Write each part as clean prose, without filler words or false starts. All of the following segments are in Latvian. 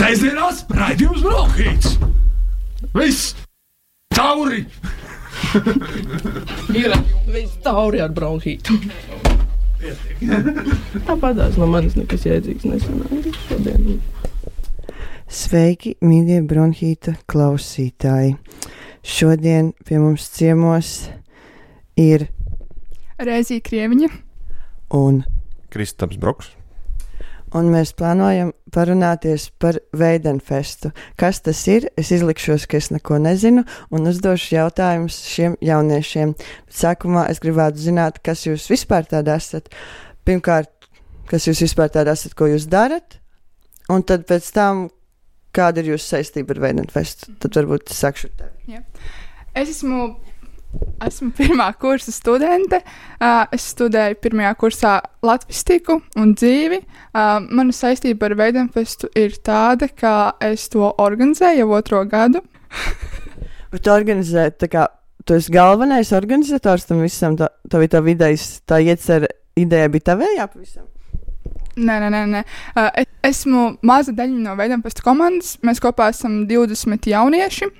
Sēsdienās raidījums Bronhīts. Viss tauri. Viss tauri ar bronhītu. Tāpatās no manis nekas jēdzīgs nesanāk šodien. Sveiki, mīļie bronhīta klausītāji. Šodien pie mums ciemos ir Rēzija Krieviņa un Kristaps Broks. Un mēs plānojam parunāties par Veidenfestu. Kas tas ir? Es izlikšos, ka es neko nezinu un uzdošu jautājumus šiem jauniešiem. Sākumā es gribētu zināt, kas jūs vispār tādi esat. Pirmkārt, kas jūs vispār tādi esat, ko jūs darat, un tad pēc tam, kāda ir jūsu saistība ar Veidenfestu. Tad varbūt es sākšu ar tevi. Jā. Es esmu pirmā kursa studente. Es studēju pirmajā kursā latvistiku un dzīvi. Mana saistība ar Veidenfestu ir tāda, ka es to organizēju jau 2. gadu. Bet tu organizē, tā kā tu esi galvenais organizators tam visam, tā bija tā vidējs, tā ideja bija tavējā pavisam? Nē. Esmu maza daļa no Veidenfesta komandas. Mēs kopā esam 20 jaunieši.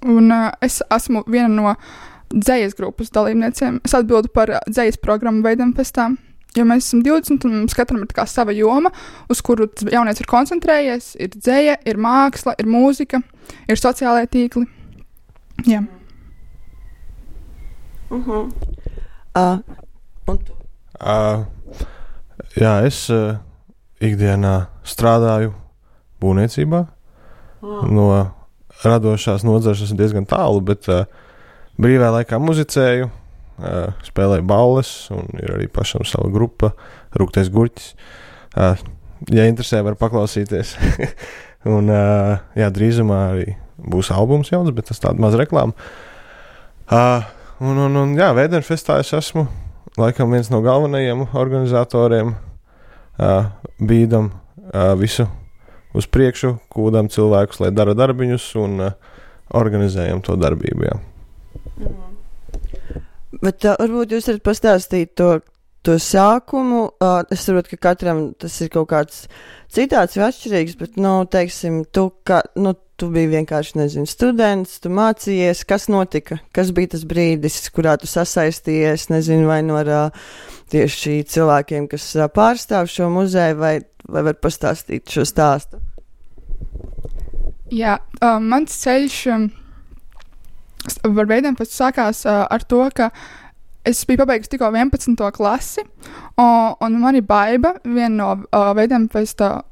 Un es esmu viena no dzejas grupas dalībniecēm. Es atbildu par dzejas programmu Veidenfestā. Jo mēs esam 20 un mums katram ir tā kā sava joma, uz kuru jaunietis ir koncentrējies. Ir dzeja, ir māksla, ir mūzika, ir sociālai tīkli. Jā. Un tu? Jā, es ikdienā strādāju būvniecībā. No radošās nozares esmu diezgan tālu, bet brīvā laikā muzicēju, spēlēju balles un ir arī pašam sava grupa, Rūgtais Gurķis. Ja interesē, var paklausīties. Un jā, drīzumā arī būs albums jauns, bet tas tāda maz reklāma. Un jā, Veidenfestā es esmu laikam viens no galvenajiem organizatoriem, bīdam visu uz priekšu, kūdam cilvēkus, lai dara darbiņus un organizējam to darbību, jā. Bet varbūt jūs varat pastāstīt to sākumu. Es saprotu, ka katram tas ir kaut kāds citāds vai atšķirīgs, bet, teiksim, tu biji vienkārši, nezinu, students, tu mācījies, kas notika? Kas bija tas brīdis, kurā tu sasaistījies, nezinu, vai no tieši cilvēkiem, kas pārstāv šo muzeju, vai var pastāstīt šo stāstu? Jā, mans ceļš ar Veidenfestu sākās ar to, ka es biju pabeigusi tikko 11. klasi, un mani Baiba, viena no Veidenfesta.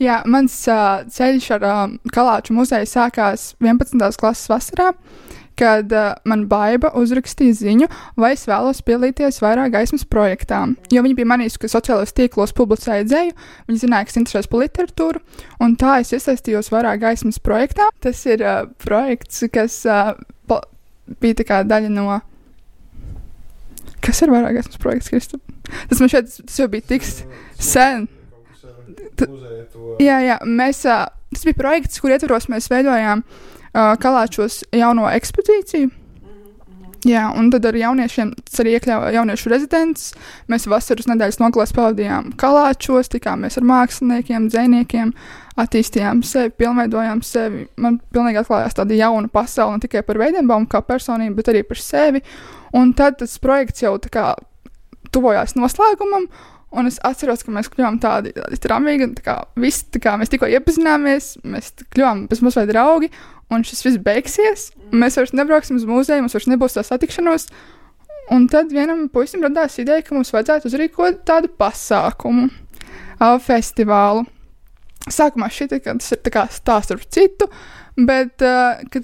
Jā, mans ceļš ar Kalāču muzeju sākās 11. klases vasarā, kad man Baiba uzrakstīja ziņu, vai es vēlos piedalīties vairāk gaismas projektā. Jo viņa bija manījusi, ka sociālajos tīklos publicēja dzeju, viņa zināja, ka es interesējos par literatūru, un tā es iesaistījos vairāk gaismas projektā. Tas ir projekts, kas bija tā kā daļa no... Kas ir vairāk gaismas projekts, Kristap? Tas man šeit, tas jau bija tik sen. Jā, tas bija projekts, kur ietvaros mēs veidojām Kalāčos jauno ekspozīciju. Jā, un tad ar jauniešiem, tas arī iekļāva jauniešu rezidents. Mēs vasaras nedēļas nogalēs pavadījām Kalāčos, tikāmies ar māksliniekiem, dzejniekiem, attīstījām sevi, pilnveidojām sevi. Man pilnīgi atklājās tāda jauna pasaule, ne tikai par Veidenbaumu kā personību, bet arī par sevi. Un tad tas projekts jau tā kā tuvojās noslēgumam, un es atceros, ka mēs kļuvām tādi tramīgi, mēs tikko iepazināmies, mēs kļuvām bez mazliet draugi, un šis viss beigsies, mēs vairs nebrauksim uz muzeju, mums vairs nebūs tā satikšanos, un tad vienam puisim radās ideja, ka mums vajadzētu uzrīkot tādu pasākumu, festivālu. Sākumā šķita, ka tas ir tā kā stāsts ar citu, bet, kad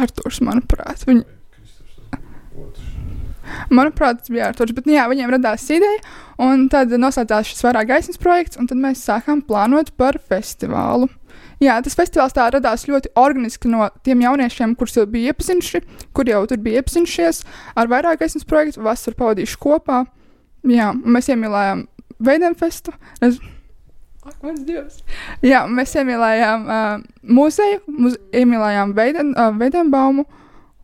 Arturs, manuprāt, Manuprāt, tas bija Arturs, bet jā, viņiem radās ideja, un tad noslēdzās šis vairāk gaismas projekts, un tad mēs sākām plānot par festivālu. Jā, tas festivāls tā radās ļoti organiski no tiem jauniešiem, kurus jau bija iepazinuši, kur jau tur bija iepazinušies ar vairāk gaismas projektu, vasaru pavadījuši kopā. Jā, un mēs iemīlējām Veidenfestu. Ak, mans Dievs! Jā, mēs iemīlējām muzeju, iemīlējām Veidenbaumu,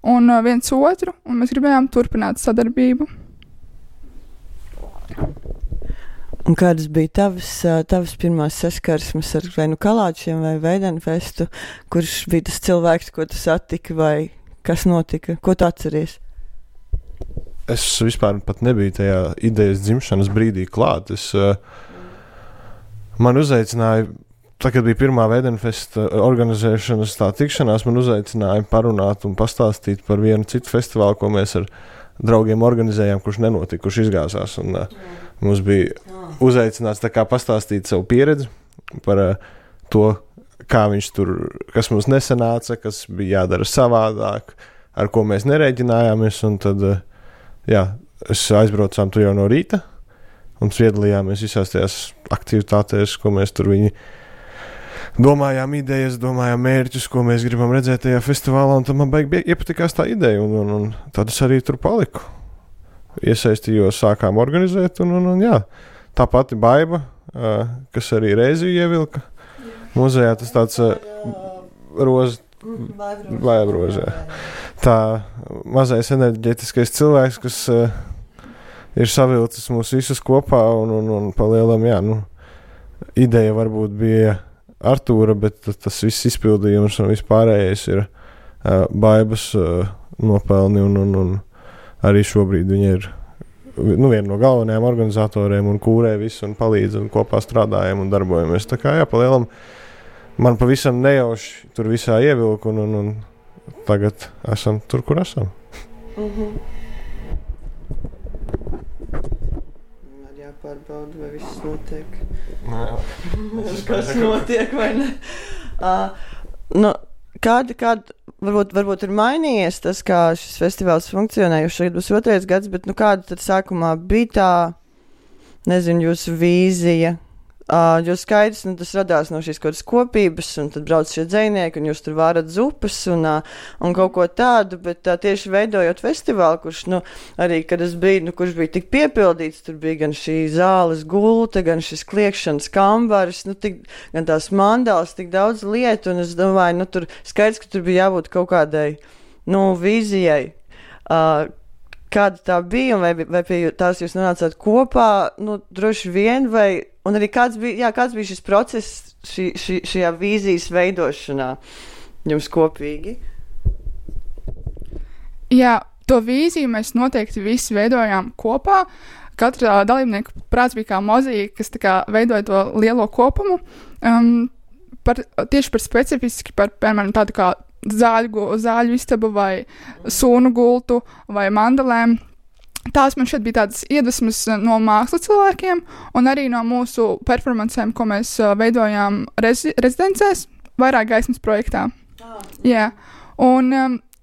un viens otru, un mēs gribējām turpināt sadarbību. Un kādas bija tavas pirmās saskarsmes ar vai nu Kalāčiem vai Veidenfestu, kurš bija tas cilvēks, ko tu satiki, vai kas notika? Ko tu atceries? Es vispār pat nebiju tajā idejas dzimšanas brīdī klāt. Man uzaicināja, tā, kad bija pirmā Veidenfesta organizēšanas tā tikšanās, man uzaicināja parunāt un pastāstīt par vienu citu festivālu, ko mēs ar draugiem organizējām, kurš nenotika, kurš izgāzās. Un mums bija uzaicināts tā kā pastāstīt savu pieredzi par to, kā viņš tur, kas mums nesanāca, kas bija jādara savādāk, ar ko mēs nerēķinājāmies. Un tad, es aizbraucām tur jau no rīta un piedalījāmies visās tajās aktivitātēs, ko mēs tur viņi domājām idejas, domājām mērķus, ko mēs gribam redzēt tajā festivālā, un tad man iepatikās tā ideja, un tad es arī tur paliku. Iesaistījos, sākām organizēt, un tā pati Baiba, kas arī reizi ievilka muzejā, tas tāds Vaibroze. Tā mazais enerģetiskais cilvēks, kas ir savilcis mūs visus kopā, un palielam, ideja varbūt bija Artūra, bet tas viss izpildījums un vispārējais ir Baibas nopelni, un arī šobrīd viņa ir viena no galvenajām organizatoriem un kūrē visu un palīdz un kopā strādājam un darbojamies. Tā kā palielam man pavisam nejauši tur visā ievilku, un tagad esam tur, kur esam. Jāpārbauda, vai viss notiek. Kas notiek, vai ne? Varbūt ir mainījies tas, kā šis festivāls funkcionē, jo šeit būs 2. gads, bet kāda tad sākumā bija tā, nezinu, jūsu vīzija? Jo skaidrs, tas radās no šīs kaut kādas kopības, un tad brauc šie dzejnieki, un jūs tur vārat zupas un kaut ko tādu, bet tieši veidojot festivālu, kurš, arī, kad es biju, kurš bija tik piepildīts, tur bija gan šī zāles gulta, gan šis kliekšanas kambaris, gan tās mandāls, tik daudz lietu, un es domāju, tur skaidrs, ka tur bija jābūt kaut kādai, vīzijai. Kāda tā bija, un vai pie tās jūs nonācāt kopā, droši vien, un arī kāds bija šis process šajā vīzijas veidošanā jums kopīgi? Jā, to vīziju mēs noteikti visi veidojām kopā. Katra dalībnieka prāts bija kā mozaīka, kas tā kā veidoja to lielo kopumu. Tieši par specifiski, piemēram, tādu kā zāļu istabu vai sūnu gultu vai mandalēm. Tās man šeit bija tādas iedvesmas no mākslas cilvēkiem un arī no mūsu performancēm, ko mēs veidojām rezidencēs, vairāk gaismas projektā. Jā. Un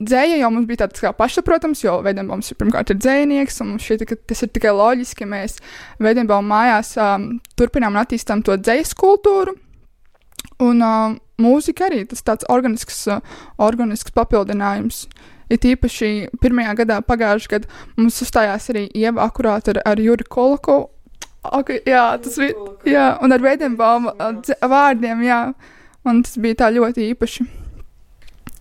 dzēja jau mums bija tāds kā pašsaprotams, jo Veidenbaums pirmkārt ir dzējnieks, un mums šķiet, ka tas ir tikai loģiski, ka mēs Veidenbauma mājās turpinām un attīstām to dzējas kultūru. Un mūzika arī, tas tāds organisks papildinājums. Ir īpaši pirmajā gadā, pagājušajā gadā, mums uzstājās arī Ieva akurāt ar Juri Kolakovu. Jā, tas bija, jā, un ar Veidenbauma vārdiem, jā, un tas bija tā ļoti īpaši.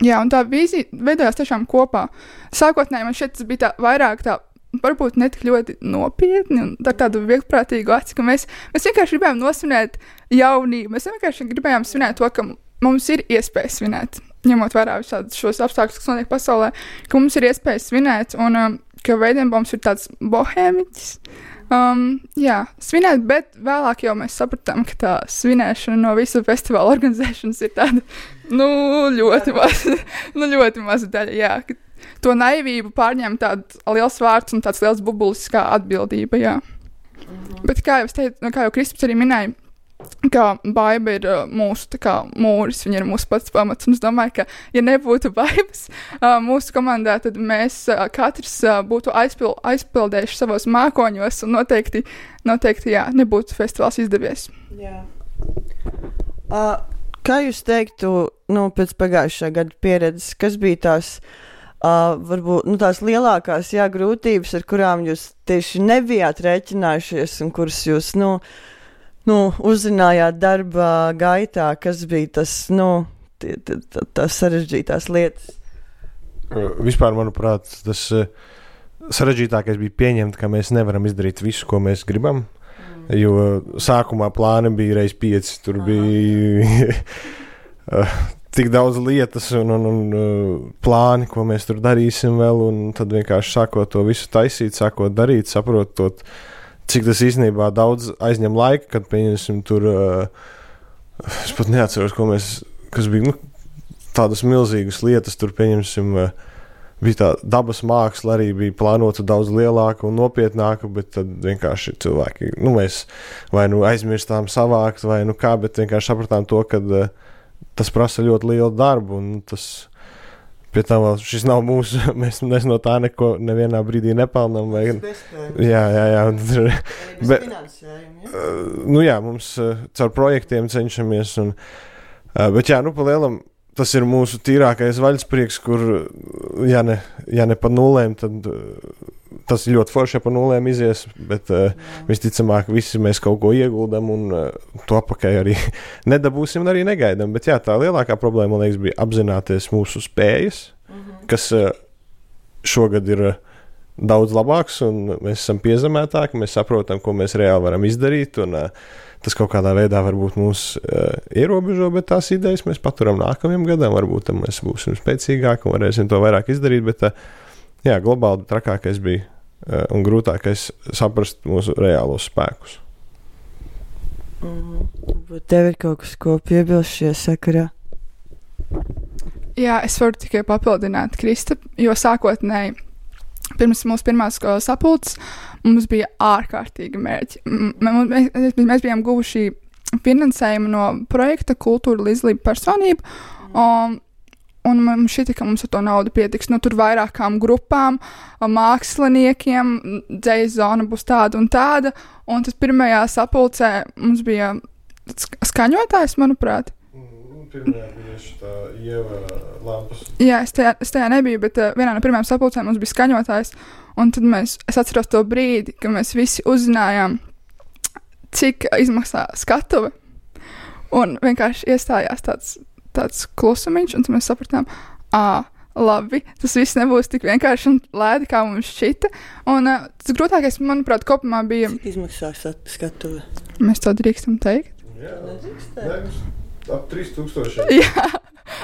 Jā, un tā vīzija veidojās tiešām kopā. Sākotnēji man šeit tas bija tā vairāk tā, varbūt ne tik ļoti nopietni un ar tādu vieglprātīgu aci, ka mēs vienkārši gribējām nosvinēt jaunību. Mēs vienkārši gribējām svinēt to, ka mums ir iespēja svinēt, ņemot vērā visādus šos apstākļus, kas notiek pasaulē, ka mums ir iespēja svinēt un ka Veidenbaums ir tāds bohēmiķis. Jā, svinēt, bet vēlāk jau mēs sapratām, ka tā svinēšana no visu festivālu organizēšanas ir tāda, ļoti maza daļa, jā. To naivību pārņem tāds liels vārds un tāds liels bubulis kā atbildība, jā. Bet kā jau Kristaps arī minēja, ka Baiba ir mūsu tā kā mūris, viņa ir mūsu pats pamats, un es domāju, ka, ja nebūtu Baibas mūsu komandā, tad mēs katrs būtu aizpildējuši savos mākoņos, un noteikti, jā, nebūtu festivāls izdevies. Jā. Kā jūs teiktu, pēc pagājušā gada pieredzes, kas bija tās varbūt tās lielākās grūtības, ar kurām jūs tieši nebijāt rēķinājušies, un kuras jūs, uzzinājāt darba gaitā, kas bija tas, tās sarežģītās lietas? Vispār, manuprāt, tas sarežģītākais bija pieņemt, ka mēs nevaram izdarīt visu, ko mēs gribam. Jo sākumā plāni bija reiz 5, tur bija tik daudz lietas un plāni, ko mēs tur darīsim vēl, un tad vienkārši sākot to visu taisīt, sākot darīt, saprotot, cik tas īstenībā daudz aizņem laika, kad pieņemsim tur, es pat neatceros, kas bija, tādas milzīgas lietas, tur pieņemsim, bija tā dabas māksla arī bija plānota daudz lielāka un nopietnāka, bet tad vienkārši cilvēki, mēs vai aizmirstām savākt, vai kā, bet vienkārši sapratām to, ka tas prasa ļoti lielu darbu, un tas pie tā vēl šis nav mūsu, mēs no tā neko nevienā brīdī nepelnam. Jā. Mums caur projektiem cenšamies, bet pa lielam tas ir mūsu tīrākais vaļasprieks, kur, ja ne pa nulēm, tad tas ir ļoti forši, ja pa nulēm izies, bet visticamāk visi mēs kaut ko ieguldam un to apakaļ arī nedabūsim un arī negaidam. Bet tā lielākā problēma, man liekas, bija apzināties mūsu spējas, kas šogad ir daudz labāks un mēs esam piezemētāki, mēs saprotam, ko mēs reāli varam izdarīt un tas kaut kādā veidā varbūt mūs ierobežo, bet tās idejas mēs paturam nākamajam gadam, varbūt mēs būsim spēcīgāki un varēsim to vairāk izdarīt, bet globāli trakākais bija un grūtākais saprast mūsu reālos spēkus. Bet tev ir kaut kas, ko piebilst šajā sakarā? Jā, es varu tikai papildināt Krista, jo sākotnēji pirms mūsu pirmās sapulces mums bija ārkārtīgi mērķi. Mēs bijām guvuši finansējumu no projekta Kultūra līdzdalība personība, un mums šķita, ka mums ar to naudu pietiks. Tur vairākām grupām, māksliniekiem, dzejas zona būs tāda un tāda, un tas pirmajā sapulcē mums bija skaņotājs, manuprāt. Pirmajā bija tā Ieva lampas. Jā, es tajā nebiju, bet vienā no pirmajām sapulcēm mums bija skaņotājs, un tad es atceros to brīdi, kad mēs visi uzzinājām, cik izmaksā skatuve, un vienkārši iestājās tāds klusumiņš, un tad mēs sapratām, labi, tas viss nebūs tik vienkārši un lēdi, kā mums šķita, un tas grūtākais, manuprāt, kopumā bija... Cik izmaksā skatuve? Mēs to drīkstam teikt? Jā, nedrīkst. Ap 3000. Jā,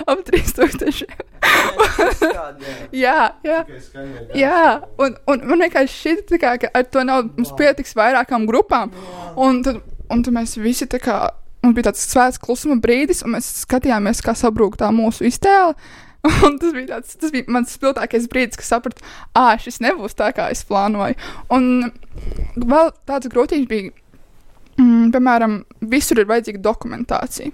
ap 3000. Jā. Jā, un man vienkārši šķita, ka ar to naudu mums pietiks vairākām grupām. Un tad mēs visi mums bija tāds svēts klusuma brīdis, un mēs skatījāmies, kā sabrūk tā mūsu iztēle. Un tas bija mans spilgtākais brīdis, kas sapratu, šis nebūs tā, kā es plānoju. Un vēl tāds grūtības bija, piemēram, visur ir vajadzīga dokumentācija.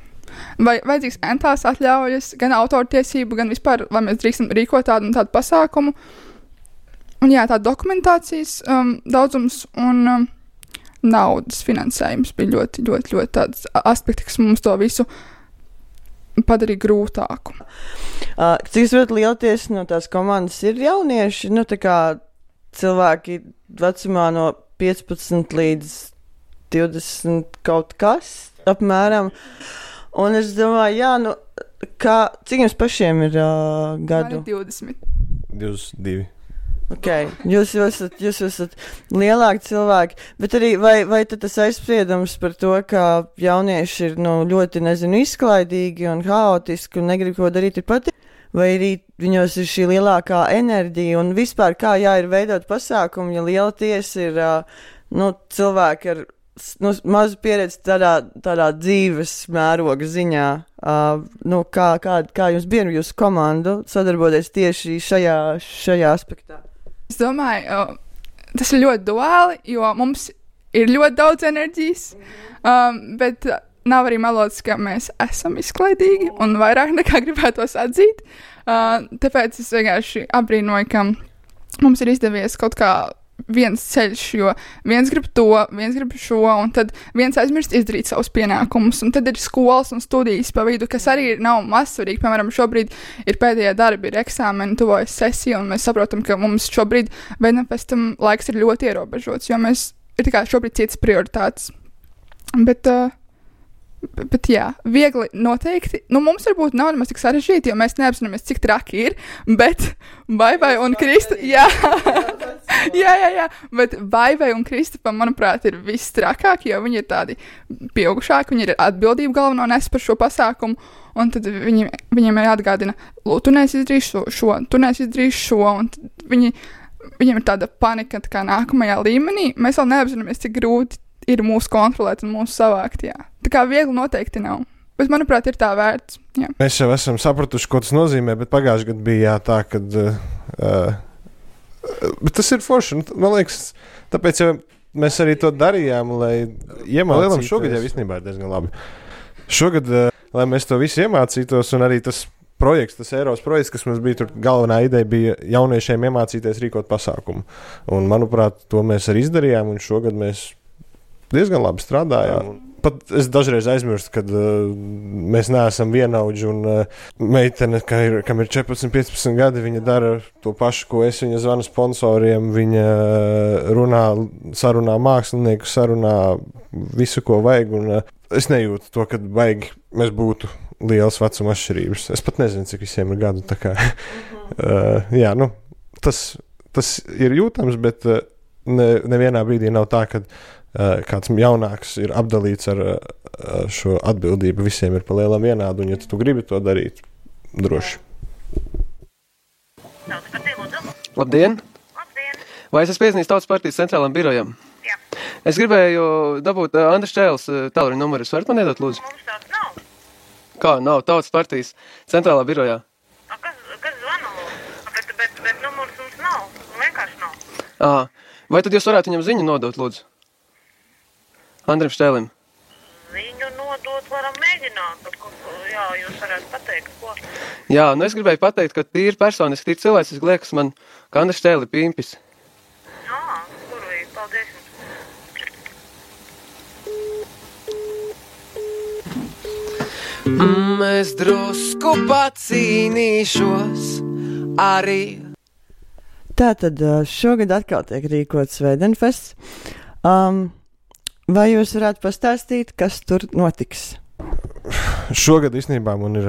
Vai vajadzīgs entās atļaujas, gan autortiesību, gan vispār, vai mēs drīkstam rīkot tādu un tādu pasākumu. Un tā dokumentācijas daudzums un naudas finansējums bija ļoti, ļoti, ļoti tāds aspekti, kas mums to visu padarīja grūtāku. Cik es varu lielties no tās komandas ir jaunieši, tā kā cilvēki vecumā no 15 līdz 20 kaut kas apmēram. Un es domāju, cik jums pašiem ir gadu? Man ir 20. 22. Okay. Jūs esat lielāki cilvēki, bet arī vai tad tas aizspriedums par to, ka jaunieši ir ļoti, izklaidīgi un haotiski un negrib ko darīt, ir patīk? Vai arī viņos ir šī lielākā enerģija un vispār kā ir veidot pasākumu, ja liela tiesa ir cilvēki ar mazu pieredzi tādā dzīves mēroga ziņā. Kā jums bija jūsu komandu sadarboties tieši šajā aspektā? Es domāju, tas ir ļoti duāli, jo mums ir ļoti daudz enerģijas, bet nav arī melots, ka mēs esam izklaidīgi un vairāk nekā gribētos atzīt. Tāpēc es vienkārši apbrīnoju, ka mums ir izdevies kaut kā viens ceļš, jo viens grib to, viens grib šo, un tad viens aizmirst izdarīt savus pienākumus, un tad ir skolas un studijas pa vidu, kas arī nav mazsvarīgi. Piemēram, šobrīd ir pēdējie darbi, ir eksāmeni, tuvojas sesija, un mēs saprotam, ka mums šobrīd vienam pēc tam laiks ir ļoti ierobežots, jo mēs ir tā kā šobrīd citas prioritātes. Bet jā, viegli noteikti. Mums varbūt nav nemaz tik sarežģīti, jo mēs neapzināmies, cik traki ir, bet Baibai un Krista, jā. Jā, bet Vaivai un Kristapam, manuprāt, ir viss trakāk, jo viņi ir tādi pieaugušāki, viņi ir atbildību galveno nes par šo pasākumu, un tad viņiem ir jāatgādina, tu neesi izdarījis šo, un viņiem ir tāda panika tā kā nākamajā līmenī, mēs vēl neapzināmies, cik grūti ir mūs kontrolēt un mūs savākt, jā. Tā kā viegli noteikti nav. Bet, manuprāt, ir tā vērts. Jā. Mēs jau esam sapratuši, ko tas nozīmē, bet pagājušajā gadā bija tā, kad... bet tas ir forši. Man liekas, tāpēc jau mēs arī to darījām, lai iemācītos. Šogad jau īstenībā ir diezgan labi. Šogad, lai mēs to visu iemācītos, un arī tas projekts, tas Eiropas projekts, kas mums bija tur galvenā ideja, bija jauniešiem iemācīties rīkot pasākumu. Un, manuprāt, to mēs arī izdarījām, un šogad mēs diezgan labi strādājām. Pat es dažreiz aizmirstu, kad mēs neesam vienaudži, un meitene, kam ir 14-15 gadi, viņa dara to pašu, ko es. Viņa zvana sponsoriem, viņa sarunā mākslinieku, sarunā visu, ko vajag, un es nejūtu to, kad vajag mēs būtu lielas vecuma atšķirības. Es pat nezinu, cik visiem ir gadu, tā kā. Jā, nu, tas ir jūtams, bet nevienā brīdī nav tā, kad kāds jaunāks ir apdalīts ar šo atbildību. Visiem ir pa lielam vienādu, un ja tu gribi to darīt, droši. Labdien! Vai es esmu piezinājis Tautas partijas centrālām birojam? Jā. Es gribēju dabūt Andris Čēles tālruņa numuru. Jūs varat man iedot, lūdzu? Mums tāds nav. Kā nav? Tautas partijas centrālā birojā. Kas zvana lūdzu? Bet numurs mums nav. Vienkārši nav. Vai tad jūs varētu viņam ziņu nodot, lūdzu? Andrim Štēlim. Viņu nodot varam mēģināt. Jā, jūs varētu pateikt, ko. Jā, nu es gribēju pateikt, ka tīri personiski, tīri cilvēciski liekas man, ka Andris Štēli pimpis. Kurvīgi, paldies jums. Es drusku pacīnīšos arī. Tātad šogad atkal tiek rīkots Svētdienfests. Vai jūs varētu pastāstīt, kas tur notiks? Šogad īstenībā man ir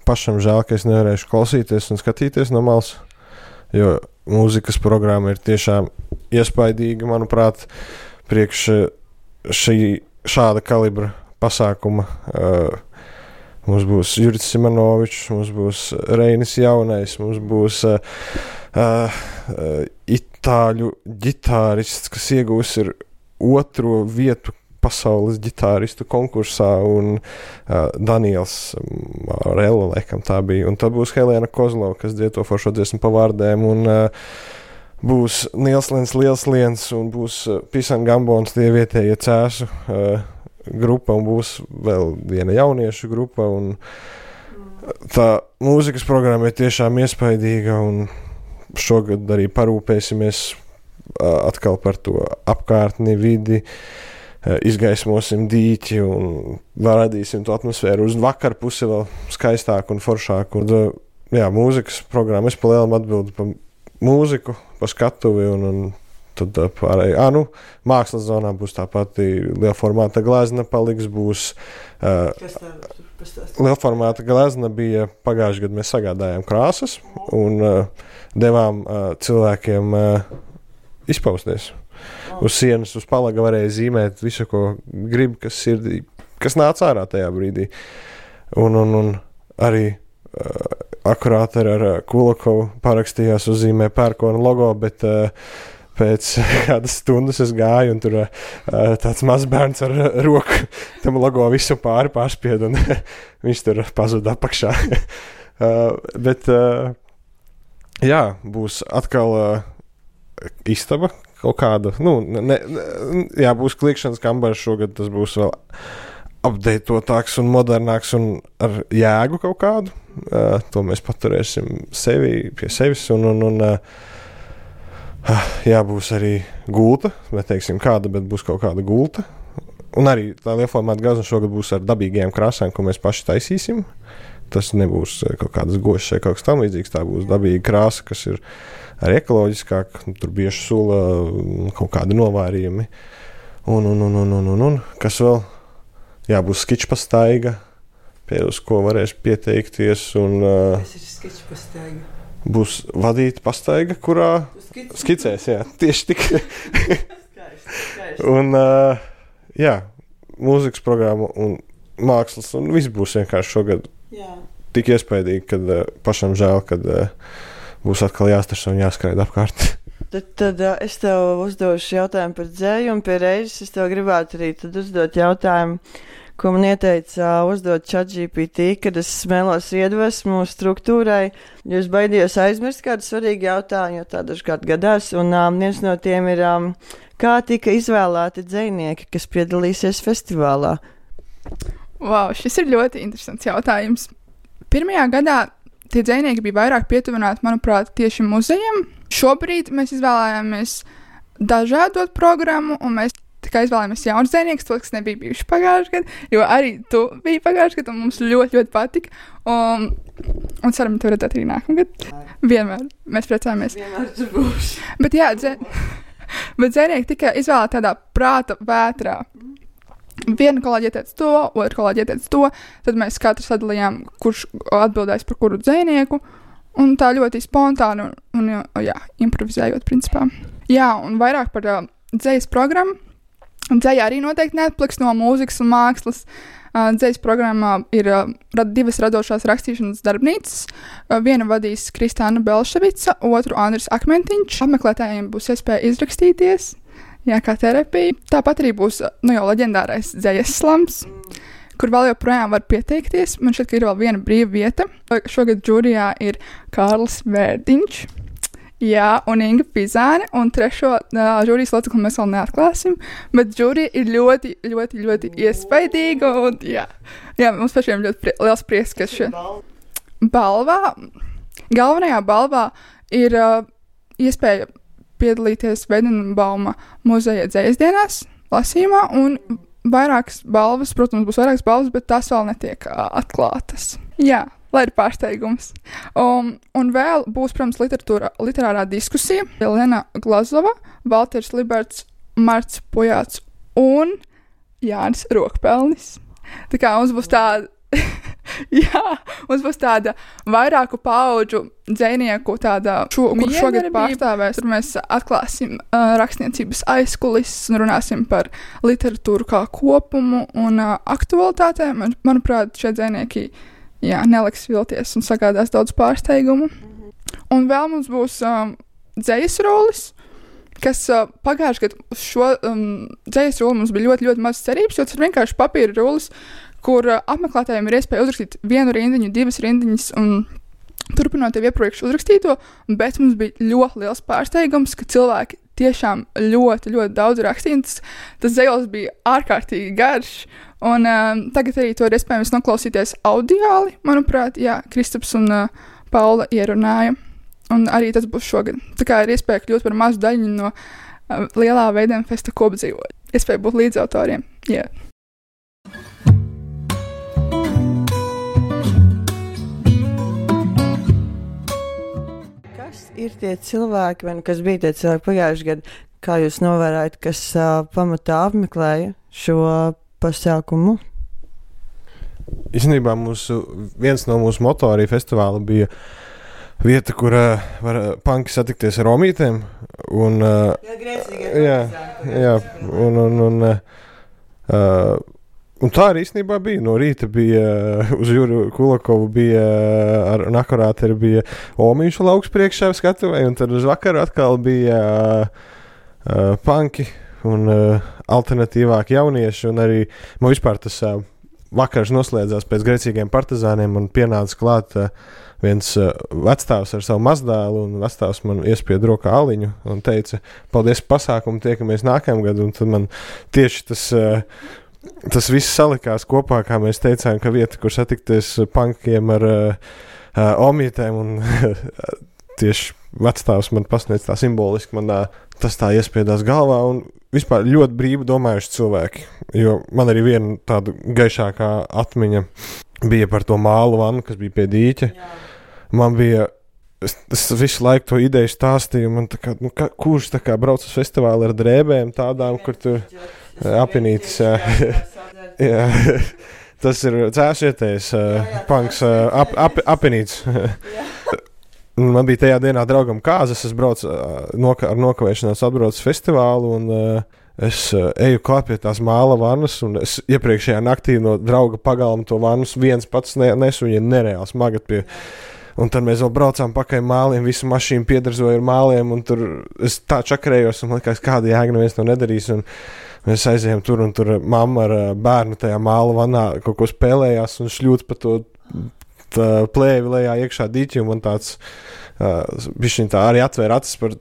pašam žēl, ka es nevarēšu klausīties un skatīties no malas, jo mūzikas programma ir tiešām iespaidīga, manuprāt, priekš šāda kalibra pasākuma. Mums būs Juris Simonovičs, mums būs Reinis Jaunais, mums būs itāļu ģitārists, kas iegūs ir 2. vietu pasaules ģitāristu konkursā, un Daniels Marella, laikam tā bija, un tad būs Helēna Kozlova, kas dzied to foršo dziesmu pa vārdēm, un būs Nielslens Lielsliens, un būs Pisan Gambons, tie vietējie cēsu grupa, un būs vēl viena jauniešu grupa, un tā mūzikas programma ir tiešām iespaidīga, un šogad arī parūpēsimies atkal par to apkārtni, vidi, izgaismosim dīķi un radīsim to atmosfēru uz vakar pusi vēl skaistāku un foršāku. Un, jā, mūzikas programma, es pa lielam atbildu par mūziku, par skatuvi un tad pārēj. Mākslas zonā būs tā pati lielformāta glezna paliks, būs lielformāta glezna bija pagājušajā gadā, mēs sagādājām krāsas un devām cilvēkiem izpausties. Uz sienas, uz palaga varēja zīmēt visu, ko grib, kas nāca ārā tajā brīdī. Un arī akurāt ar Kulakovu parakstījās uzzīmē pērkona logo, bet pēc kādas stundas es gāju, un tur tāds mazbērns ar roku tam logo visu pārspied, un viņš tur pazuda apakšā. Bet jā, būs atkal istaba kaut kāda, būs kliekšanas kambaras šogad, tas būs vēl updatētāks un modernāks un ar jēgu kaut kādu. To mēs paturēsim pie sevis un būs arī gulta, neteiksim kāda, bet būs kaut kāda gulta. Un arī tā lielformāta glezna šogad būs ar dabīgajām krāsām, ko mēs paši taisīsim. Tas nebūs kaut kādas gošas vai kaut kas tam līdzīgs, tā būs dabīga krāsa, kas ir arī ekoloģiskāk, tur bieži sula kaut kādi novārījumi. Un kas vēl? Jā, būs skičpastaiga, uz ko varēs pieteikties. Kas ir skičpastaiga? būs vadīta pastaiga, kurā skicēs, jā, tieši tik. Un, jā, mūzikas programma un mākslas, un viss būs vienkārši šogad tik iespaidīgi, kad pašam žēl, kad būs atkal jāstašo un jāskraida apkārt. Tad es tev uzdošu jautājumu par dzēju, un pie reizes es tev gribētu arī tad uzdot jautājumu, ko man ieteica uzdot ChatGPT, kad es smēlos iedvesmu struktūrai, jo es baidījos aizmirst kādu svarīgu jautājumu, jo tā dažkārt gadās, un viens no tiem ir, kā tika izvēlēti dzejnieki, kas piedalīsies festivālā? Wow, šis ir ļoti interesants jautājums. Pirmajā gadā tie dzejnieki bija vairāk pietuvināti, manuprāt, tieši muzejiem. Šobrīd mēs izvēlējāmies dažādot programmu, un mēs tikai izvēlējāmies jaunus dzejniekus, tos, kas nebija bijuši pagājušajā gadā, jo arī tu biji pagājušajā gadā, un mums ļoti, ļoti patika. Un ceram, tev redzēt arī nākamgad. Vienmēr mēs priecājamies. Vienmēr tur būs. Bet jā, bet dzejnieki tika izvēlēti tādā prāta vētrā. Viena kolēģi ieteica to, otra kolēģi ieteica to, tad mēs katrs sadalījām, kurš atbildēs par kuru dzejnieku, un tā ļoti spontāni un jā, improvizējot principā. Jā, un vairāk par dzejas programmu. Dzeja arī noteikti neatpliks no mūzikas un mākslas. Dzejas programmā ir divas radošās rakstīšanas darbnīcas. Viena vadīs Kristāna Belševica, otru Andris Akmentiņš. Apmeklētājiem būs iespēja izrakstīties. Jā, kā terapija. Tāpat arī būs jau leģendārais dzejas slams, kur vēl joprojām var pieteikties. Man šķiet, ka ir vēl viena brīva vieta. Šogad žūrijā ir Kārlis Vērdiņš, jā, un Inga Pizāne, un trešo žūrijas locekli mēs vēl neatklāsim, bet žūrija ir ļoti, ļoti, ļoti iespaidīga, un jā, mums pašiem ļoti liels prieks, ka šie galvenajā balvā ir iespēja piedalīties Vedenbauma muzeja dzejas dienās, lasījumā, un vairākas balvas, protams, būs vairākas balvas, bet tās vēl netiek atklātas. Jā, lai ir pārsteigums. Un vēl būs, protams, literārā diskusija. Lena Glazova, Valters Liberts, Marts Pujāts un Jānis Rokpelnis. Tā kā mums būs tāda, mums būs tāda vairāku paudžu dzejnieku, kur šogad pārstāvēs. Tur mēs atklāsim rakstniecības aizkulises un runāsim par literatūru kā kopumu un aktualitātēm. Manuprāt, šie dzejnieki neliks vilties un sagādās daudz pārsteigumu. Un vēl mums būs dzejas rolis, kas pagājušajā gadā uz šo dzejas roli mums bija ļoti, ļoti maz cerības, jo tas ir vienkārši papīra rolis, kur apmeklētājiem ir iespēja uzrakstīt vienu rindiņu, divas rindiņas un turpinot jau iepriekš uzrakstīto, bet mums bija ļoti liels pārsteigums, ka cilvēki tiešām ļoti, ļoti daudz rakstīja. Tas dzejols bija ārkārtīgi garš, un tagad arī to ir iespējams noklausīties audiāli, manuprāt, Kristaps un Paula ierunāja, un arī tas būs šogad. Tā kā ir iespēja kļūt par mazu daļu no lielā Veidenfesta kopdzīvoļa. Iespēja būt līdzautoriem, Ir tie cilvēki, vai kas bija tie cilvēki pagājušajā gadā, kā jūs novērājat, kas pamatā apmeklēja šo pasākumu? Īstenībā viens no mūsu moto arī festivāla bija vieta, kur var panki satikties ar romītēm. Un tā arī īstenībā bija. No rīta bija uz Juru Kulakovu, bija ar nakorāteri bija Omīšu lauks priekšā skatuvē, un tad uz vakaru atkal bija panki un alternatīvāki jaunieši, un arī man vispār tas vakars noslēdzās pēc Grēcīgiem partizāniem, un pienāca klāt viens vecstāvs ar savu mazdēlu, un vecstāvs man iespied rokā aliņu un teica, paldies par pasākumu, tiekamies nākamgad, un tad man tieši tas viss salikās kopā, kā mēs teicām, ka vieta, kur satikties pankiem ar omītēm, un tieši vecstāvs man pasniedz tā simboliski, man tas tā iespiedās galvā, un vispār ļoti brīvi domājuši cilvēki, jo man arī viena tāda gaišākā atmiņa bija par to mālu vannu, kas bija pie dīķa. Man bija, es visu laiku to ideju stāstīju, man tā kā, kurš tā kā brauc uz festivālu ar drēbēm tādām, kur tur apinītis, jā. Tas ir cēsietējs, punks, apinītis. man bija tajā dienā draugam kāzas, es braucu ar nokavēšanās atbraucu festivālu, un es eju klāt pie tās māla vannas, un es iepriekšējā naktī no drauga pagalma to vannus viens pats nesu, viņa nereāli smagat pie. Un tad mēs vēl braucām pakaļ māliem, visu mašīnu piedarzoju ar māliem, un tur es tā čakarējos, un man likās, kāda jēga neviens to nedarīs, un mēs aizējām tur, un tur mamma ar bērnu tajā māla vannā kaut ko spēlējās, un šļūt pa to plēvi lejā iekšā dīķi, un man tāds bišķiņ tā arī atvēra acis par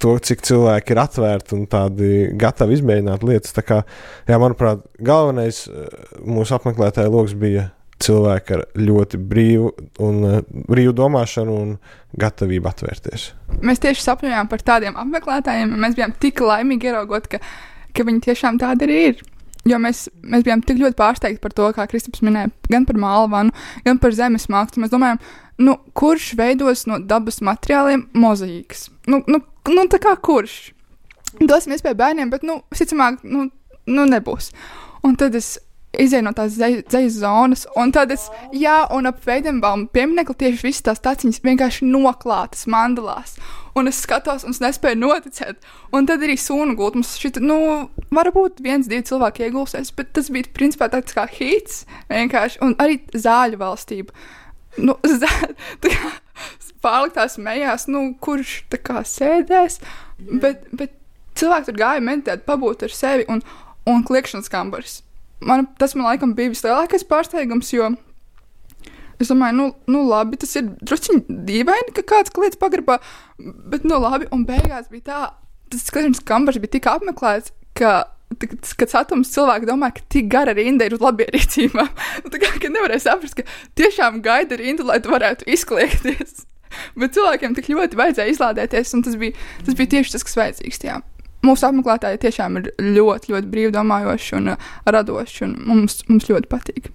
to, cik cilvēki ir atvērti un tādi gatavi izmēģināt lietas. Tā kā, jā, manuprāt, galvenais mūsu apmeklētāja loks bija cilvēki ar ļoti brīvu domāšanu un gatavību atvērties. Mēs tieši sapņojām par tādiem apmeklētājiem, un mēs bijām tik laimīgi ieraugot, ka viņi tiešām tādi arī ir. Jo mēs bijām tik ļoti pārsteigti par to, kā Kristaps minēja, gan par mālvanu, gan par zemes mākslu. Mēs domājam, kurš veidos no dabas materiāliem mozaīkas? Tā kā kurš? Dosim iespēju bērniem, bet, visticamāk, nebūs. Un tad es izēju no tās dzejas zonas, un tad un ap Veidenbaumu pieminekli tieši visas tās taciņas vienkārši noklātas mandalās. Un es skatos, un es nespēju noticēt. Un tad arī sūnu gultu. Mums šķita, varbūt 1-2 cilvēki iegulsies, bet tas bija principā tāds kā hits vienkārši. Un arī zāļu valstība. Tā kā pārliktās mejās, kurš tā kā sēdēs, bet cilvēki tur gāja meditēt, pabūt ar sevi un kliekšanas kambaris. Tas man laikam bija vislielākais pārsteigums, jo es domāju, labi, tas ir drusciņi dīvaini, ka kāds kliedz pagrabā, bet labi, un beigās bija tā, tas kliekšanas kambars bija tik apmeklēts, kad satums cilvēki domā, ka tik gara rinda ir uz labierīcībām. Tā kā nevarēja saprast, ka tiešām gaida rindu, lai tu varētu izkliekties. Bet cilvēkiem tik ļoti vajadzēja izlādēties, un tas bija tieši tas, kas vajadzīgs, jā. Mūsu apmeklētāji tiešām ir ļoti, ļoti brīvdomājoši un radoši, un mums ļoti patīk.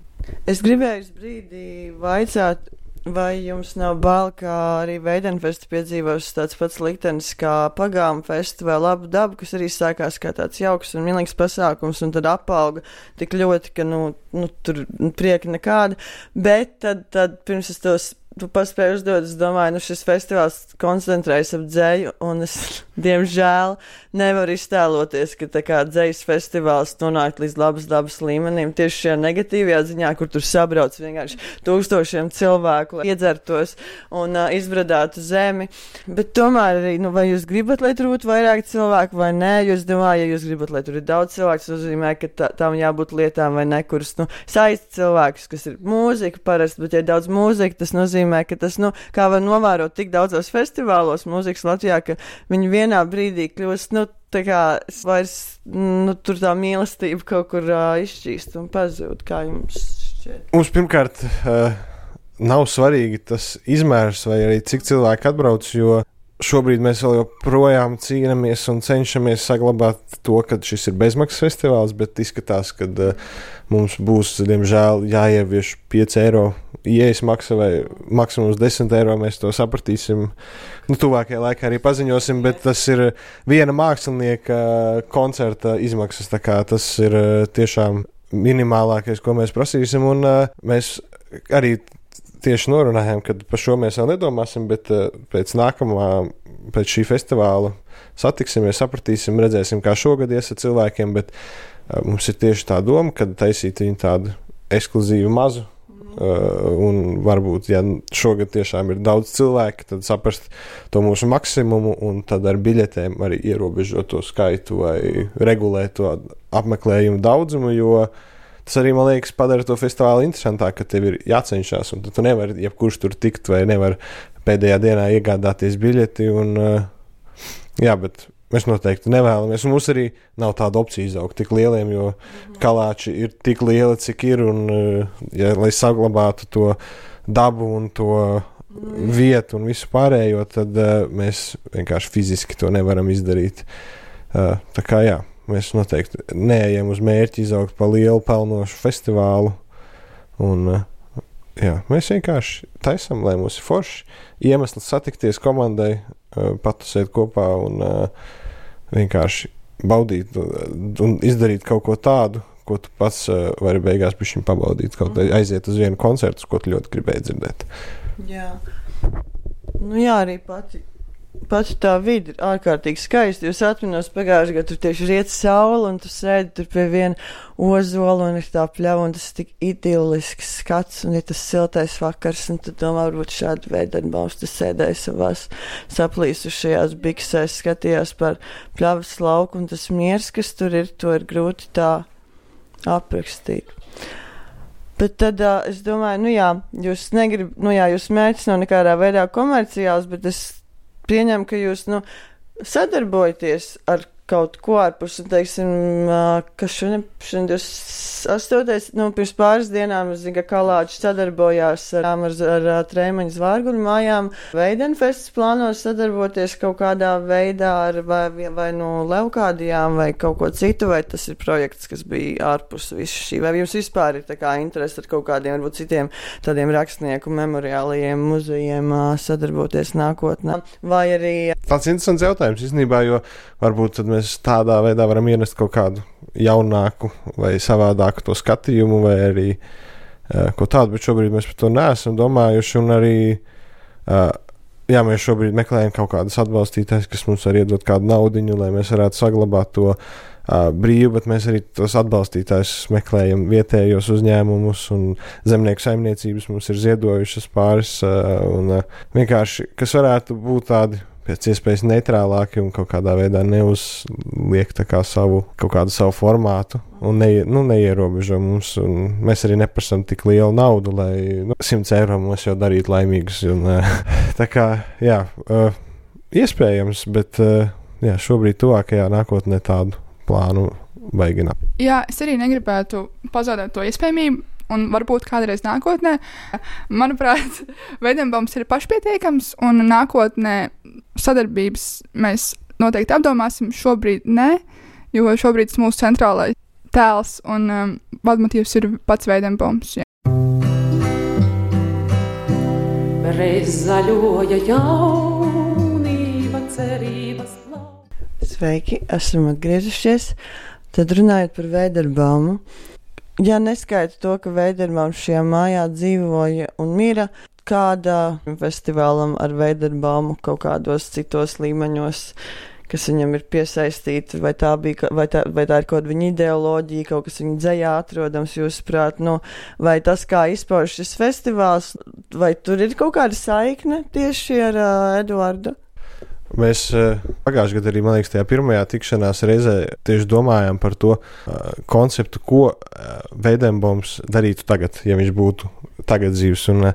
Es gribēju brīdī vaicāt, vai jums nav bail, kā arī Veidenfesta piedzīvos tāds pats liktenis kā Pagāma festa vai Labu dabu, kas arī sākās kā tāds jauks un milīgs pasākums, un tad apauga tik ļoti, ka, tur prieka nekāda, bet tad pirms es tu paspēju uzdot, es domāju, šis festivāls koncentrējas ap dzeju, un es, diemžēl, nevaru iztēloties, ka tā kā dzejas festivāls nonāk līdz Labas dabas līmenim, tieši šajā negatīvajā ziņā, kur tur sabrauc vienkārši tūkstošiem cilvēku, lai iedzertos un izbradātu zemi. Bet tomēr arī, vai jūs gribat, lai tur būtu vairāk cilvēku vai nē, jo es domāju, ja jūs gribat, lai tur ir daudz cilvēku, tas nozīmē, ka tām jābūt lietām vai ne, kuras, saist cilvēkus, kas ir mūzika parasti, bet ja daudz mūzika, tas nozīmē, ka tas, kā var novērot tik daudzos festivālos mūzikas Latvijā, ka viņi vienā brīdī kļūst, tā kā vairs, tur tā mīlestība kaut kur izšķīst un pazūd, kā jums šķiet? Mums pirmkārt nav svarīgi tas izmērs vai arī cik cilvēki atbrauc, jo šobrīd mēs vēl joprojām cīnamies un cenšamies saglabāt to, ka šis ir bezmaksas festivāls, bet izskatās, ka mums būs, diemžēl, jāievieš 5 eiro ieejas maksa vai maksimums 10 eiro, mēs to sapratīsim. Tuvākajā laikā arī paziņosim, bet tas ir viena mākslinieka koncerta izmaksas, tā kā tas ir tiešām minimālākais, ko mēs prasīsim, un mēs arī tieši norunājām, ka par šo mēs vēl nedomāsim, bet pēc šī festivāla satiksimies, sapratīsim, redzēsim, kā šogad ies ar cilvēkiem, bet mums ir tieši tā doma, kad taisīt viņu tādu ekskluzīvu mazu, un varbūt, ja šogad tiešām ir daudz cilvēku, tad saprast to mūsu maksimumu, un tad ar biļetēm arī ierobežot to skaitu vai regulēt to apmeklējumu daudzumu, jo tas arī, man liekas, padara to festivālu interesantāk, ka tev ir jācenšas, un tu nevari jebkurš tur tikt, vai nevar pēdējā dienā iegādāties biļeti, un jā, bet mēs noteikti nevēlamies, un mums arī nav tāda opcija izaugt tik lieliem, jo Kalāči ir tik lieli, cik ir, un lai saglabātu to dabu un to vietu un visu pārējo, tad mēs vienkārši fiziski to nevaram izdarīt. Tā kā jā. Mēs noteikti neejam uz mērķi izaugt pa lielu pelnošu festivālu, un jā, mēs vienkārši taisam, lai mums ir forši iemesls satikties komandai, patusēt kopā un vienkārši baudīt un izdarīt kaut ko tādu, ko tu pats vari beigās bišķiņ pabaudīt, kaut aiziet uz vienu koncertu, ko tu ļoti gribēji dzirdēt. Jā. Nu jā, arī pati tā vide ir ārkārtīgi skaista. Jūs atminos pagājušajā gadā, tur tieši riet saule, un tu sēdi tur pie viena ozola, un ir tā pļava, un tas ir tik idillisks skats, un ir tas siltais vakars, un tu domā, varbūt šādu Veidenbaums tu sēdēji savās saplīsušajās biksēs, skatījās par pļavas lauku, un tas miers, kas tur ir, to ir grūti tā aprakstīt. Bet tad es domāju, jūs jūs mērķis nav nekādā veidā komerciāls, bet es pieņemu, ka jūs, sadarbojaties ar kaut ko ārpus, un teiksim, ka šodien 28. Pirms pāris dienām, es zinu, ka Kalāčs sadarbojās ar Treimaņa Zvārguļu mājām. Veidenfests plānos sadarboties kaut kādā veidā ar vai Leukādijām vai kaut ko citu, vai tas ir projekts, kas bija ārpus visu šī, vai jums vispār ir tā kā interesi ar kaut kādiem, varbūt citiem tādiem rakstnieku memoriālajiem muzejiem sadarboties nākotnē, vai arī... Tāds interesants jautājums, īstenībā, jo varbūt tad mēs tādā veidā varam ienest kaut kādu jaunāku vai savādāku to skatījumu vai arī ko tādu, bet šobrīd mēs par to neesam domājuši un arī, mēs šobrīd meklējam kaut kādas atbalstītājs, kas mums var iedot kādu naudiņu, lai mēs varētu saglabāt to brīvu, bet mēs arī tos atbalstītājus meklējam vietējos uzņēmumus un zemnieku saimniecības mums ir ziedojušas pāris un vienkārši, kas varētu būt tādi pēc iespējas neitrālāki un kaut kādā veidā neuzliek tā kā kaut kādu savu formātu un neierobežo mums. Un mēs arī neprasam tik lielu naudu, lai 100 eiro mums jau darītu laimīgus. Un, tā kā, iespējams, bet šobrīd tuvākajā nākotnē tādu plānu baigi nav. Jā, es arī negribētu pazaudēt to iespējamību. Un varbūt kādreiz nākotnē, manuprāt, Veidenbaums ir pašpietiekams, un nākotnē sadarbības mēs noteikti apdomāsim. Šobrīd nē, jo šobrīd tas mūsu centrālais tēls un vadmotīvs ir pats Veidenbaums. Reiz zaļoja jaunība, cerības plauka. Sveiki, esam atgriezušies. Tad runājot par Veidenbaumu. Ja neskaita to, ka Veidenbaums šajā mājā dzīvoja un mira, kādā festivālam ar Veidenbaumu kaut kādos citos līmeņos, kas viņam ir piesaistīti, vai tā ir kaut kāda viņa ideoloģija, kaut kas viņa dzejā atrodams, jūsuprāt, vai tas, kā izpauž šis festivāls, vai tur ir kaut kāda saikne tieši ar Eduardu? Mēs pagājušajā gadā arī, man liekas, tajā pirmajā tikšanās reizē tieši domājām par to konceptu, ko Veidenbaums darītu tagad, ja viņš būtu tagad dzīvs. Un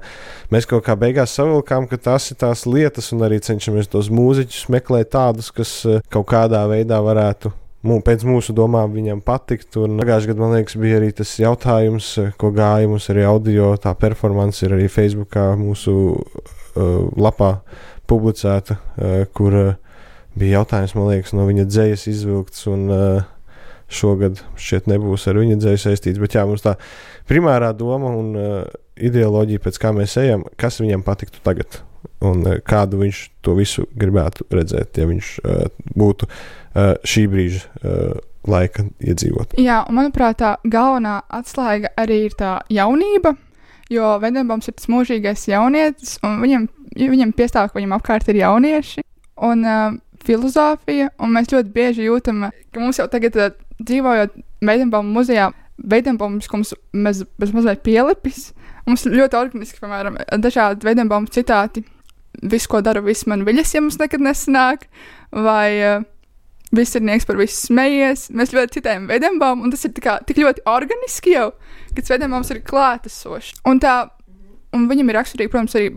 mēs kaut kā beigās savilkām, ka tās ir tās lietas un arī cenšamies tos mūziķus meklēt tādus, kas kaut kādā veidā varētu pēc mūsu domām viņam patikt. Un pagājušajā gadā, man liekas, bija arī tas jautājums, ko gāja mums arī audio, tā performance ir arī Facebookā mūsu lapā publicēta, kur bija jautājums, man liekas, no viņa dzejas izvilkts, un šogad šķiet nebūs ar viņa dzeju saistīts, bet mums tā primārā doma un ideoloģija, pēc kā mēs ejam, kas viņam patiktu tagad, un kādu viņš to visu gribētu redzēt, ja viņš būtu šī brīža laika iedzīvot. Jā, un manuprāt, tā galvenā atslēga arī ir tā jaunība, jo Veidenbaums ir tas mūžīgais jaunietis, un viņam piestāv, ka viņam apkārt ir jaunieši un filozofija, un mēs ļoti bieži jūtam, ka mums jau tagad dzīvojot Veidenbauma muzejā, Veidenbaums, ko mēs mazliet pielipis, mums ļoti organiski, piemēram, dažādi Veidenbauma citāti, visu, ko daru, viss man viļas, ja mums nekad nesanāk, vai viss ir nieks par visu smejies, mēs ļoti citējam Veidenbaumu, un tas ir tik ļoti organiski jau, ka Veidenbaums ir klātesošs. Un viņam ir raksturīgi, protams, arī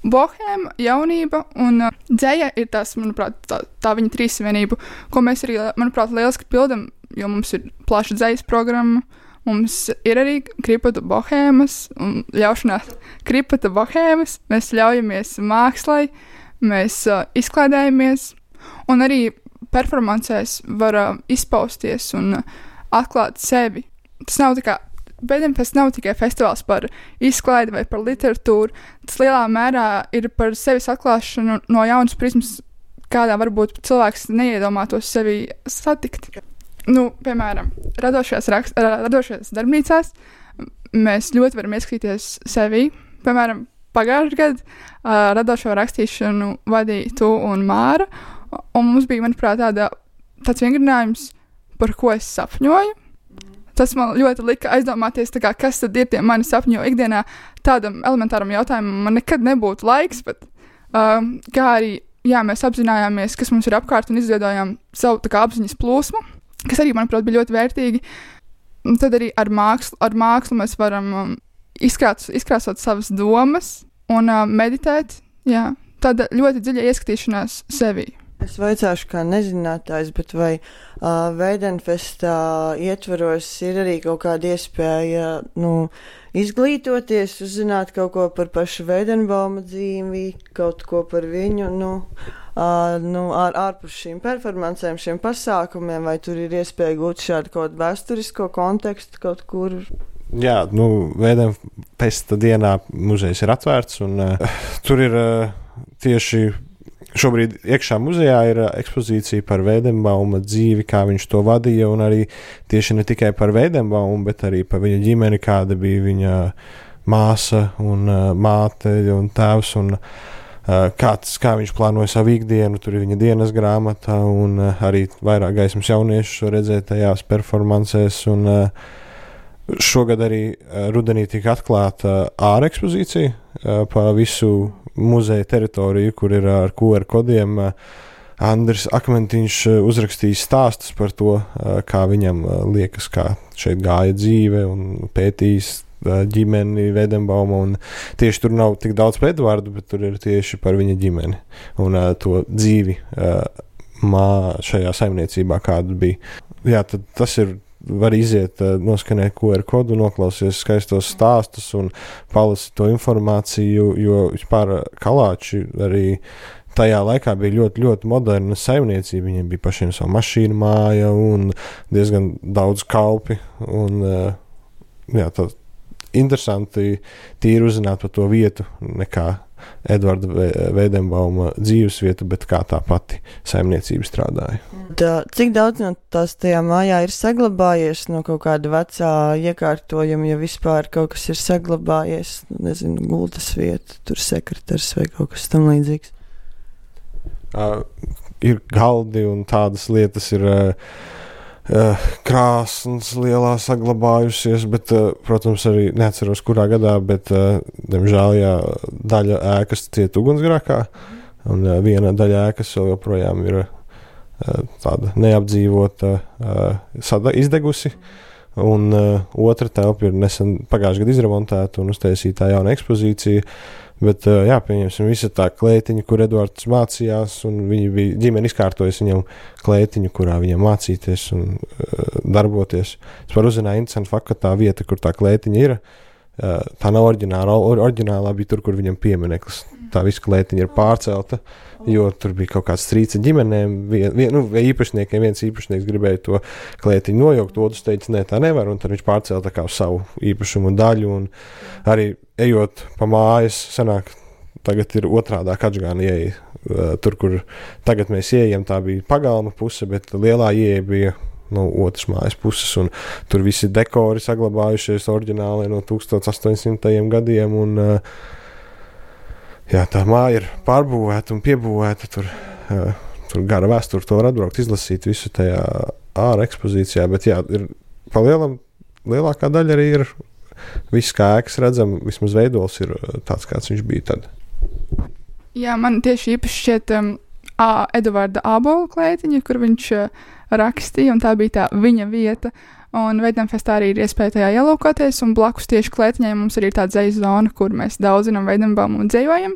bohēma, jaunība un dzeja ir tās, manuprāt, tā viņa trīsvienība, ko mēs arī, manuprāt, lieliski pildam, jo mums ir plaša dzejas programma, mums ir arī kripata bohēmas un ļaušanās kripata bohēmas, mēs ļaujamies mākslai, mēs izklaidējamies un arī performancēs var izpausties un atklāt sevi. Tas nav Veidenfests nav tikai festivāls par izklaidi vai par literatūru, tas lielā mērā ir par sevis atklāšanu no jaunas prizmas, kādā varbūt cilvēks neiedomātos sevi satikt. Piemēram, radošajās darbnīcās mēs ļoti varam ieskatīties sevi, piemēram, pagājušajā gadā radošo rakstīšanu vadīja tu un Māra, un mums bija, manuprāt, tāds vingrinājums, par ko es sapņoju. Tas man ļoti lika aizdomāties, tā kā, kas tad ir tie mani sapņi, jo ikdienā tādam elementāram jautājumam man nekad nebūtu laiks, bet kā arī, jā, mēs apzinājāmies, kas mums ir apkārt un izveidojām savu tā kā apziņas plūsmu, kas arī, manuprāt, bija ļoti vērtīgi. Un tad arī ar mākslu mēs varam izkrāsot savas domas un meditēt, jā, tāda ļoti dziļa ieskatīšanās sevī. Es vaicāšu kā nezinātājs, bet vai Veidenfestā ietvaros ir arī kaut kāda iespēja, izglītoties, uzzināt kaut ko par pašu Veidenbauma dzīvi, kaut ko par viņu, ārpus šīm performancēm, šiem pasākumiem, vai tur ir iespēja gūt šādu kaut vēsturisko kontekstu kaut kur? Jā, Veidenfesta dienā muzejs ir atvērts, un tur ir tieši šobrīd iekšā muzejā ir ekspozīcija par Veidenbauma dzīvi, kā viņš to vadīja, un arī tieši ne tikai par Veidenbaumu, bet arī par viņa ģimeni, kāda bija viņa māsa un māte un tēvs, un kā viņš plānoja savu ikdienu, tur ir viņa dienas grāmata, un arī vairāk gaismas jauniešu redzēt tajās performancēs, un šogad arī rudenī tika atklāta ārekspozīcija pa visu muzeja teritoriju, kur ir ar QR kodiem. Andris Akmentiņš uzrakstījis stāstus par to, kā viņam liekas, kā šeit gāja dzīve, un pētījis ģimeni Veidenbauma, un tieši tur nav tik daudz par Edvardu, bet tur ir tieši par viņa ģimeni un to dzīvi šajā saimniecībā, kāda bija. Jā, tad tas ir, var iziet, noskanēt QR kodu, noklausies skaistos stāstus un palasīt to informāciju, jo vispār Kalāči arī tajā laikā bija ļoti, ļoti moderna saimniecība. Viņiem bija pašiem savu mašīnu māja un diezgan daudz kalpi. Un, jā, tā interesanti tīri uzzināt par to vietu, nekā Edvarda Veidenbauma dzīves vietu, bet kā tā pati saimniecība strādāja. Cik daudz no tās tajā mājā ir saglabājies no kaut kāda vecā iekārtojuma, ja vispār kaut kas ir saglabājies, nezinu, gultas vieta, tur sekretars vai kaut kas tam līdzīgs? Ir galdi un tādas lietas ir krāsnes lielā saglabājusies, bet, protams, arī neatceros, kurā gadā, bet, diemžēl, jā, daļa ēkas ciet ugunsgrēkā, un viena daļa ēkas vēl joprojām ir tāda neapdzīvota, izdegusi, un otra telpa ir nesen pagājušajā gadā izremontēta un uztaisītā jauna ekspozīcija. Bet, jā, pieņemsim, visa tā klētiņa, kur Edvards mācījās, un viņi bija ģimeni izkārtojas viņam klētiņu, kurā viņam mācīties un darboties. Es varu uzzināt interesantu faktu, ka tā vieta, kur tā klētiņa ir, tā nav oriģināla. Oriģinālā bija tur, kur viņam piemineklis. Tā visa klētiņa ir pārcelta, jo tur bija kaut kāds strīds ģimenēm, vai īpašniekiem. Viens īpašnieks gribēja to klētiņu nojaukt, otrs teica, nē, tā nevar, un tad viņš pārcēla tā kā uz savu īpašumu daļu, un arī ejot pa mājas, sanāk, tagad ir otrādāk atžgāna ieeja. Tur, kur tagad mēs ieejam, tā bija pagalma puse, bet lielā ieeja bija no otras mājas puses, un tur visi dekori saglabājušies oriģināli no 1800. Gadiem, un jā, tā māja ir pārbūvēta un piebūvēta, tur gara vēsture, to var atbraukt, izlasīt visu tajā ārā ekspozīcijā, bet jā, ir pa lielākā daļa arī ir viss, kā ēkas redzam, vismaz veidols ir tāds, kāds viņš bija tad. Jā, man tieši īpaši šķiet Eduarda Ābola klētiņa, kur viņš rakstīja, un tā bija tā viņa vieta. Un Veidenfestā arī ir iespēja tajā ielūkoties, un blakus tieši klētiņai mums arī ir tā dzejas zona, kur mēs daudzinam Veidenbaumu un dzejojam.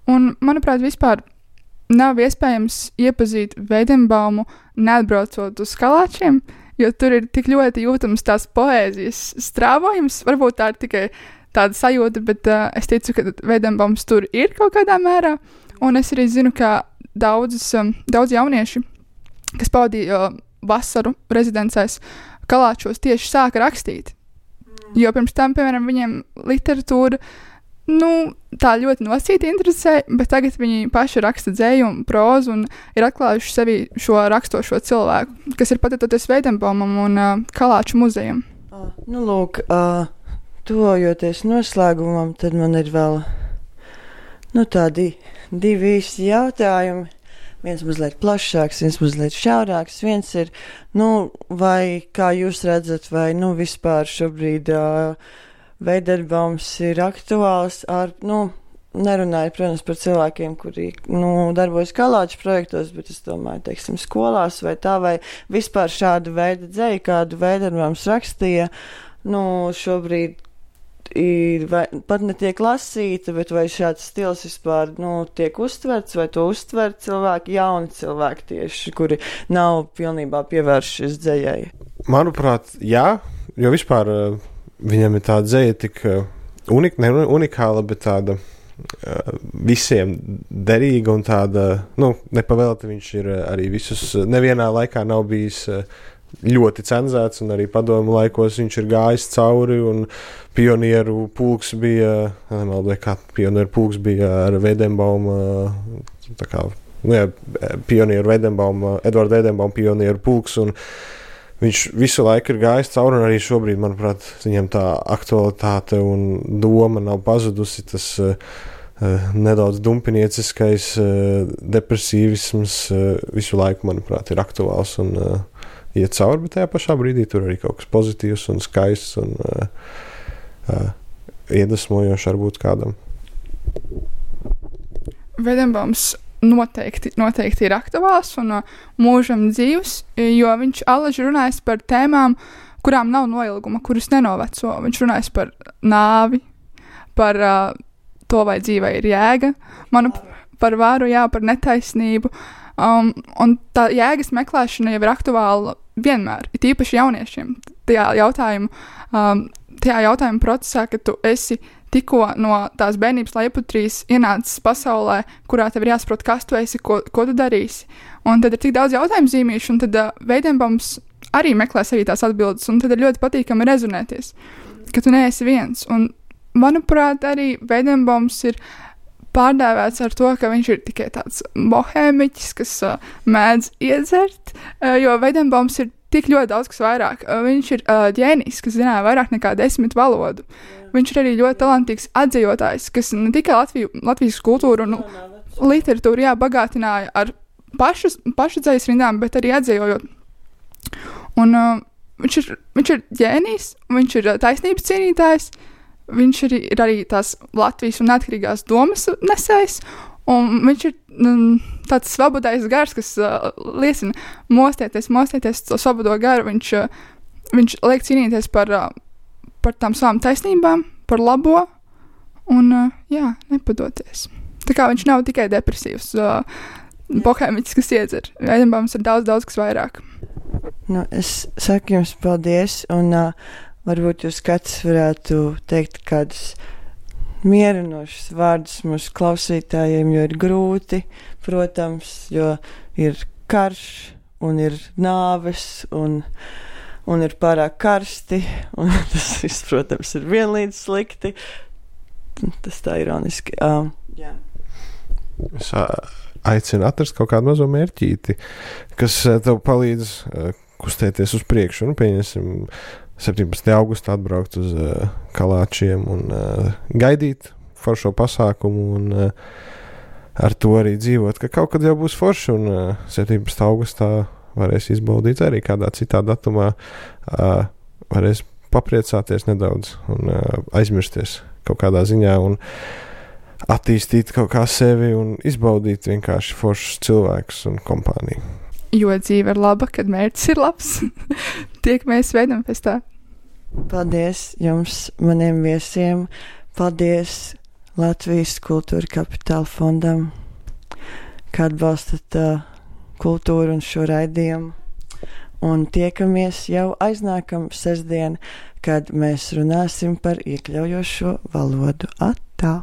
Un, manuprāt, vispār nav iespējams iepazīt Veidenbaumu neatbraucot uz Kalāčiem, jo tur ir tik ļoti jūtams tās poēzijas strāvojums. Varbūt tā ir tikai tāda sajūta, bet es ticu, ka Veidenbaums tur ir kaut kādā mērā. Un es arī zinu, ka daudz jaunieši, kas pavadīja vasaru rezidencēs Kalāčos, tieši sāka rakstīt. Jo pirms tam, piemēram, viņiem literatūra tā ļoti nosīti interesē, bet tagad viņi paši raksta dzēju un prózu un ir atklājuši sevi šo rakstošo cilvēku, kas ir pateicoties Veidenbaumam un Kalāču muzejam. Lūk, tuvojoties noslēgumam, tad man ir vēl Nu, tādi divi īsti jautājumi. Viens mazliet plašāks, viens mazliet šaurāks. Viens ir, vai kā jūs redzat, vai vispār šobrīd Veiderbaums ir aktuāls ar, nerunāju, protams, par cilvēkiem, kuri, darbojas Kalāču projektos, bet es domāju, teiksim, skolās vai tā, vai vispār šādu veidu dzeju, kādu Veiderbaums rakstīja, šobrīd pat netiek lasīta, bet vai šāds stils vispār, tiek uztverts, vai to uztver cilvēki, jauni cilvēki tieši, kuri nav pilnībā pievēršies dzejai? Manuprāt, jā, jo vispār viņam ir tāda dzeja tik unikāla, bet tāda visiem derīga un tāda, nepavēlti viņš ir arī visus, nevienā laikā nav bijis ļoti cenzēts, un arī padomu laikos viņš ir gājis cauri, un pionieru pulks bija, pionieru pulks bija ar Veidenbauma, pionieru Veidenbauma, Edvarda Veidenbauma pionieru pulks, un viņš visu laiku ir gājis cauri, un arī šobrīd, manuprāt, viņam tā aktualitāte un doma nav pazudusi, tas nedaudz dumpinieciskais depresīvisms visu laiku, manuprāt, ir aktuāls un iet cauri, bet tajā pašā brīdī tur arī kaut kas pozitīvs un skaists un iedvesmojošs varbūt kādam. Veidenbaums noteikti ir aktuāls un mūžam dzīvs, jo viņš allaži runājas par tēmām, kurām nav noilguma, kuras nenoveco. Viņš runājas par nāvi, par to, vai dzīvē ir jēga, par varu, par netaisnību. Un tā jēgas meklēšana jau ir aktuāla vienmēr, it īpaši jauniešiem. Tajā jautājuma procesā, ka tu esi tikko no tās bērnības lejputrīs ienācis pasaulē, kurā tev ir jāsaprot, kas tu esi, ko tu darīsi. Un tad ir tik daudz jautājumu zīmīšu, un tad Veidenbaums arī meklē sevī tās atbildes, un tad ir ļoti patīkami rezonēties, ka tu neesi viens. Un, manuprāt, arī Veidenbaums ir pārdēvēts ar to, ka viņš ir tikai tāds bohēmiķis, kas mēdz iedzert, jo Veidenbaums ir tik ļoti daudz kas vairāk. Viņš ir ģēnijs, kas zināja vairāk nekā 10 valodu. Viņš ir arī ļoti talantīgs atzejotājs, kas ne tikai Latvijas kultūru un literatūru bagātināja ar pašu dzejas rindām, bet arī atzejojot. Un viņš ir ģēnijs, viņš ir taisnības cienītājs, viņš ir arī tās Latvijas un neatkarīgās domas nesējs, un viņš ir tāds svabodais gars, kas liecina mostieties to svabodo garu. Viņš liek cīnīties par tām savām taisnībām, par labo, un nepadoties. Tā kā viņš nav tikai depresīvs bohēmiķis, kas iedzer. Veidenbaums ir daudz kas vairāk. Es saku jums paldies, un varbūt jūs kāds varētu teikt kādus mierinošus vārdus mūsu klausītājiem, jo ir grūti, protams, jo ir karš un ir nāves un ir pārāk karsti, un tas viss, protams, ir vienlīdz slikti. Tas tā ironiski. Jā. Es aicinu atrast kaut kādu mazo mērķīti, kas tev palīdz kustēties uz priekšu, un pieņemsim 17. augustā atbraukt uz Kalāčiem un gaidīt foršo pasākumu un ar to arī dzīvot, ka kaut kad jau būs forši, un 17. augustā varēs izbaudīt arī kādā citā datumā, varēs papriecāties nedaudz un aizmirsties kaut kādā ziņā un attīstīt kaut kā sevi un izbaudīt vienkārši foršus cilvēkus un kompāniju. Jo dzīve ir laba, kad mērķis ir labs. Tiekamies Veidenfestā. Paldies jums, maniem viesiem. Paldies Latvijas Kultūra Kapitāla fondam, ka atbalstat kultūru un šo raidījumu. Un tiekamies jau aiznākam sestdien, kad mēs runāsim par iekļaujošo valodu. Atā!